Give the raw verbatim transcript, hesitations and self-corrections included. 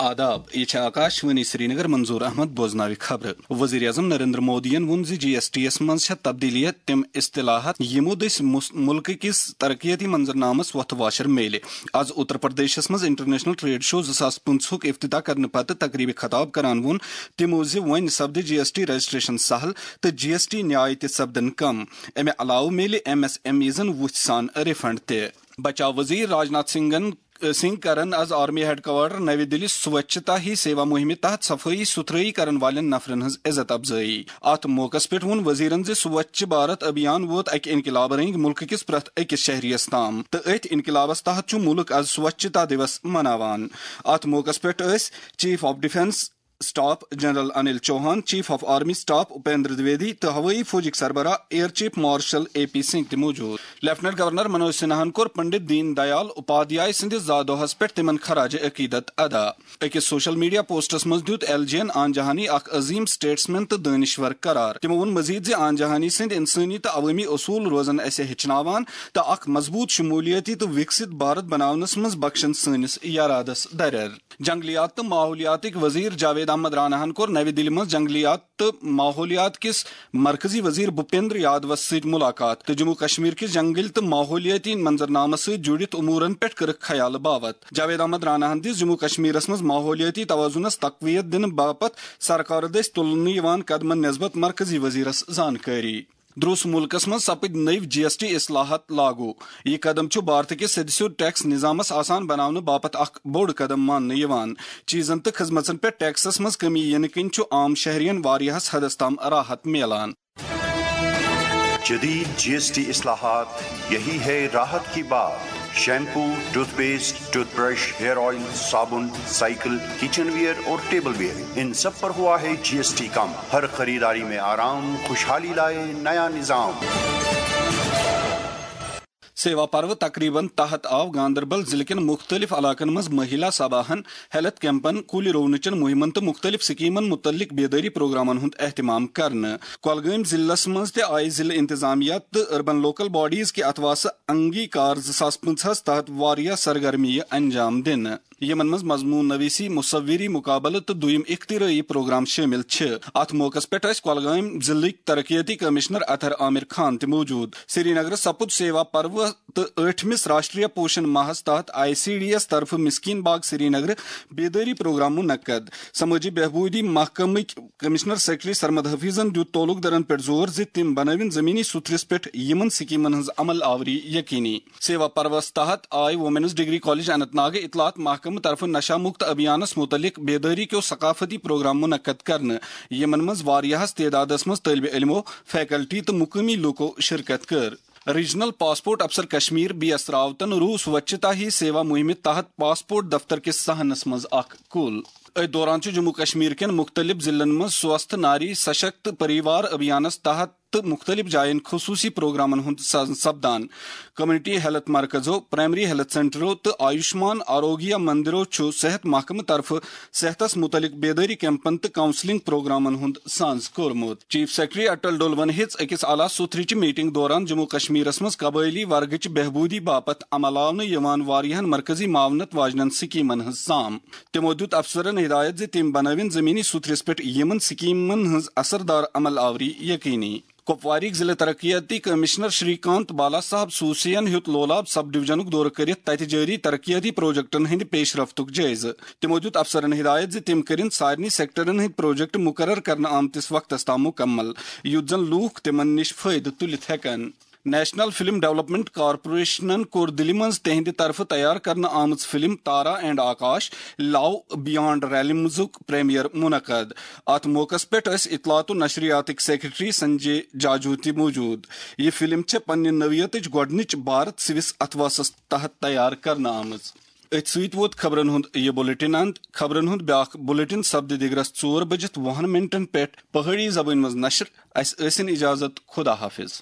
آداب، یہِ چھِ آکاش وانی سرینگر۔ منظور احمد بوزناوِ خبرٕ۔ وزیر اعظم نریندر مودیَن ووٚن زِ جی ایس ٹی یَس منٛز چھےٚ تبدیلیت تِم اصطلاحات یِمو دٔسۍ مُس-، مُلکہٕ کِس ترقیتی منظرنامس وۄتھٕ واشر میلہِ۔ از اتر پردیشس منٛز انٹرنیشنل ٹریڈ شو زٕ ساس پٕنٛژٕہُک افتتاح کرنہٕ پتہٕ تقریبہِ خطاب کران ووٚن تِمو زِ وۄنۍ سپدِ جی ایس ٹی رجسٹریشن سہل تہٕ جی ایس ٹی نیاے تہِ سپدن کم۔ امہِ علاوٕ میلہِ ایم ایس ایم ایزن وُژھِ سان ریفنڈ تہِ۔ بچاو وزیر راجناتھ سنگھن سنگھ کرن از آرمی ہیڈ کوارٹر نوِ دِلہِ سوچھتا ہی سیوا مُہِمہِ تحت صفٲیی سُتھرٲیی کرن والٮ۪ن نفرن ہٕنٛز عزت افزٲیی۔ اتھ موقعس پٮ۪ٹھ ووٚن وزیرن زِ سوچھ بھارت ابھیان ووت اکہِ انقلابہٕ رٔنگۍ مُلکہٕ کِس پرٛٮ۪تھ أکِس شہریَس تام تہٕ أتھۍ انقلابس تحت چھُ مُلک از سوچھتا دیوس مناوان۔ اتھ موقعس پٮ۪ٹھ ٲسۍ chief of defence staff general Anil Chauhan, chief of army staff Upendra Dwivedi تہٕ ہوٲیی فوجٕکۍ سربراہ air chief marshal A P Singh تہِ موجود۔ لیفٹننٹ گورنر منوج سنہاہن کوٚر پنڈت دین دیال اپادھیائے سٕنٛدِس زا دۄہس پٮ۪ٹھ تِمن خراج عقیدت ادا۔ أکِس سوشل میڈیا پوسٹس منٛز دیُت ایل جی یَن آن جہانی اکھ عظیم سٹیٹسمین تہٕ دٲنِشور قرار۔ تِمو ووٚن مزید زِ آن جہانی سٕنٛدۍ انسٲنی تہٕ عوٲمی اصوٗل روزن اسہِ ہیٚچھناوان تہٕ اکھ مضبوٗط شمولیتی تہٕ وکسِت بھارت بناونس منٛز بخشن سٲنِس یرادس درر۔ جنگلیات تہٕ ماحولیاتٕکۍ وزیر جاوید احمد راناہن کوٚر نوِ دِلہِ منٛز جنگلیات تہٕ ماحولیات کِس مرکزی وزیر بھوپیندر یادوس سۭتۍ ملاقات تہٕ جموں کشمیر کِس جنگل تہٕ ماحولیٲتی منظرنامس سۭتۍ جُڑِتھ امورن پٮ۪ٹھ کٔرٕکھ خیال باوت۔ جاوید احمد راناہن دِژ جموں کشمیرس منٛز ماحولیٲتی توازنس تقویت دِنہٕ باپتھ سرکارٕ دٔسۍ تُلنہٕ یِوان قدمن نسبت مرکزی وزیرس زانکٲری۔ دروس مُلکس منٛز سپٕدۍ نٔوۍ جی ایس ٹی اصلاحات لاگو۔ یہِ قدم چھُ بھارت کِس سیٚدِ سیوٚد ٹیکس نظامس آسان بناونہٕ باپتھ اکھ بوٚڑ قدم ماننہٕ یِوان۔ چیزن تہٕ خدمژن پٮ۪ٹھ ٹیکسس منٛز کمی یِنہٕ کِنۍ چھُ عام شہرین واریاہس حدس تام راحت میلان۔ جدید جی ایس ٹی اصلاحات، یہی ہے راحت کی بات۔ Shampoo, toothpaste, toothbrush, hair oil, صابن، سائیکل، کچن ویئر اور ٹیبل ویئر، ان سب پر ہوا ہے جی ایس ٹی کم۔ ہر خریداری میں آرام، خوشحالی لائے نیا نظام۔ سیوا پرو تقریبن تحت آو گاندربل ضلع کٮ۪ن مُختٔلِف علاقن منٛز مہیلا سباہن، ہیلتھ کیمپن، کُلۍ رُونٕچن مُہِمن تہٕ مُختٔلِف سکیمن مُتعلق بیدٲری پروگرامن ہُنٛد اہتمام کرنہٕ۔ کۄلگٲمۍ ضلعس منٛز تہِ آیہِ ضلع انتظامیہ تہٕ اربن لوکل باڈیز کہِ اتھواسہٕ انگیکار زٕ ساس پٕنٛژٕہس تحت واریاہ سرگرمیہِ انجام دِنہٕ، یِمن منٛز مضمون نویسی، مصوری مقابلہٕ تہٕ دوٚیم اختراعی پروگرام شٲمِل چھِ۔ اتھ موقعس پٮ۪ٹھ ٲسۍ کۄلگٲمۍ ضلعٕکۍ ترقیتی کمشنر اطہر عامر خان تہِ موجود۔ سرینگرٕ سپُد سیوا پرو تہٕ ٲٹھمِس راشٹریہ پوشن ماہس تحت آئی سی ڈی ایس طرفہٕ مسکین باغ سرینگرٕ بیدٲری پروگرام منعقد۔ سمٲجی بہبودی محکمٕکۍ کمشنر سیکرٹری سرمد حفیظن دیُت تعلق دارن پٮ۪ٹھ زور زِ تِم بنٲوِن زمینی سطحس پٮ۪ٹھ یِمن سکیمن ہٕنٛز عمل آوری یقینی۔ سیوا پروس تحت آیہِ وومینز ڈگری کالج اننت ناگہٕ اطلاعات محکمہٕ طرفہٕ نشہ مکت ابھیانس متعلق بیدٲری کیو ثقافتی پروگرام منعقد کرنہٕ، یِمن منٛز واریاہس تعدادس منٛز طٲلبِ علمو، فیکلٹی تہٕ مقٲمی لوٗکو شرکت کٔر۔ ریجنل پاسپورٹ افسر کشمیر بی ایس راوتن روٗ سوچھتا ہی سیوا مُہِمہِ تحت پاسپورٹ دفتر کِس صحنس منٛز اکھ کُل۔ أتھۍ دوران چھُ جموں کشمیر کٮ۪ن مُختٔلِف ضلعن منٛز سوستھ ناری سشکت پریوار ابھیانس تحت تہٕ مُختٔلِف جاین خصوٗصی پروگرامن ہُنٛد ساز سپدان۔ کمیونٹی ہیلتھ مرکزو، پرائمری ہیلتھ سینٹرو تہٕ آیوشمان آروگیہ مندرو چھُ صحت محکمہٕ طرفہٕ صحتس مُتعلق بیدٲری کیمپن تہٕ کاؤنسلنگ پروگرامن ہُنٛد ساز کوٚرمُت۔ چیف سیکرٹری اٹل ڈولون ہیٚژ أکِس اعلیٰ سُتھرٕچہِ میٹنگ دوران جموں کشمیرس منٛز قبٲئلی ورگٕچ بہبودی باپتھ عملاونہٕ یِوان واریاہن مرکزی معاونت واجنٮ۪ن سکیمن ہٕنٛز سام۔ تِمو دیُت افسرن ہدایت زِ تِم بنٲوِن زمینی سُتھرِس پٮ۪ٹھ یِمن سکیمن ہٕنٛز اثردار عمل آوری یقینی۔ کپوارٕکۍ ضلع ترقیاتی کمشنر شری کانت بالا صاحب سوسین ہیوٚت لولاب سب ڈویژنُک دورٕ کٔرِتھ تتہِ جٲری ترقیاتی پروجیکٹن ہٕنٛدِ پیش رفتُک جٲیزٕ۔ تِمو دیُت افسرن ہدایت زِ تِم کٔرِن سارنٕے سیکٹرن ہٕنٛدۍ پروجیکٹ مقرر کرنہٕ آمتِس وقتس تام مکمل، یُتھ زن لوٗکھ تِمن نِش فٲیدٕ تُلِتھ ہٮ۪کن۔ نیشنل فلم ڈیولپمنٹ کارپوریشنن کوٚر دِلہِ منٛز تِہنٛدِ طرفہٕ تیار کرنہٕ آمٕژ film Tara and Akash, love beyond ریلمزُک پریمیئر منعقد۔ اتھ موقعس پٮ۪ٹھ ٲسۍ اطلاعات و نشریاتٕکۍ سیکرٹری سنجے جاجو تہِ موجود۔ یہِ فلم چھےٚ پننہِ نوعیتٕچ گۄڈٕنِچ بھارت سوِس اتھواسس تحت تیار کرنہٕ آمٕژ۔ أتھۍ سۭتۍ ووت خبرن ہُنٛد یہِ بلیٹن اند۔ خبرن ہُنٛد بیاکھ بلیٹن سپدِ دِگرس ژور بجِتھ وُہن منٹن پٮ۪ٹھ پہٲڑی زبٲنۍ منٛز نشر۔ اسہِ ٲسِن اجازت، خدا حافظ۔